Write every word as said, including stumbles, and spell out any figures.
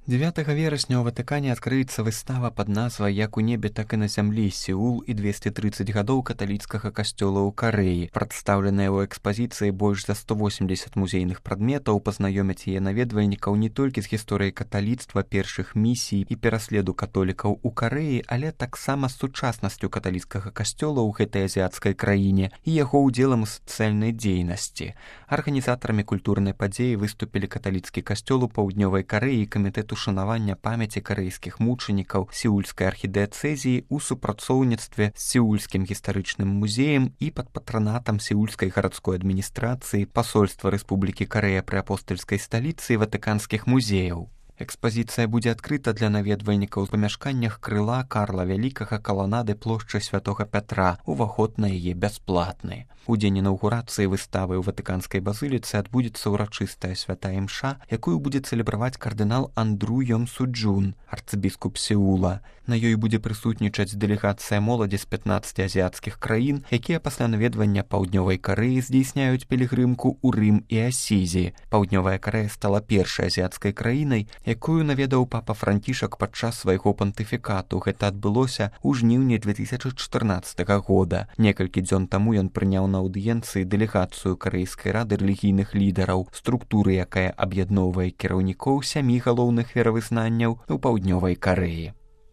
дзевятага верасня ў Ватыкане адкрыецца выстава пад назвай «Як у небе, так і на зямлі. Сеул і двесце трыццаць гадоў каталіцкага касцёла ў Карэі». Прадстаўленыя ў экспазіцыі больш за сто восемдзесят музейных прадметаў пазнаёмяць яе наведвальнікаў не толькі з гісторыяй каталіцтва, першых місій і пераследу католікаў у Карэі, але таксама з сучаснасцю каталіцкага касцёла ў гэтай азіяцкай краіне і яго ўдзелам у сацыяльнай дзейнасці. Арганізатарамі культурнай падзеі выступілі каталіцкі касцёл у паўднёвай Карэі і камітэт ушанавання памяці карэйскіх мучанікаў сеульскай архідыяцэзіі ў супрацоўніцтве з сеульскім гістарычным музеем і пад патранатам сеульскай гарадской адміністрацыі пасольства Рэспублікі Карэя пры апостальскай сталіцы і ватыканскіх музеяў. Экспазіцыя будзе адкрыта для наведвальнікаў у памяшканнях крыла Карла Вялікага каланады плошчы Святога Пятра. Уваход на яе бясплатны. У дзень інаўгурацыі выставы ў Ватыканскай базыліцы адбудзецца ўрачыстая святая імша, якую будзе цэлебраваць кардынал Андру Йонсуджун, арцыбіскуп Сеула. На ёй будзе прысутнічаць дэлегацыя моладзі з пятнаццаці азіяцкіх краін, якія пасля наведвання паўднёвай Карэі здзейсняюць пілігрымку ў Рым і Асізі. Паўднёвая Карэя стала першай азіяцкай краінай, якую наведаў папа Францішак падчас свайго пантыфікату. Гэта адбылося ў жніўні две тысячы чатырнаццатага года. Некалькі дзён таму ён прыняў на аўдыенцыі дэлегацыю Карэйскай рады рэлігійных лідараў, структуры, якая аб'ядноўвае кіраўнікоў сямі галоўных веравызнанняў у паўднёвай Карэі.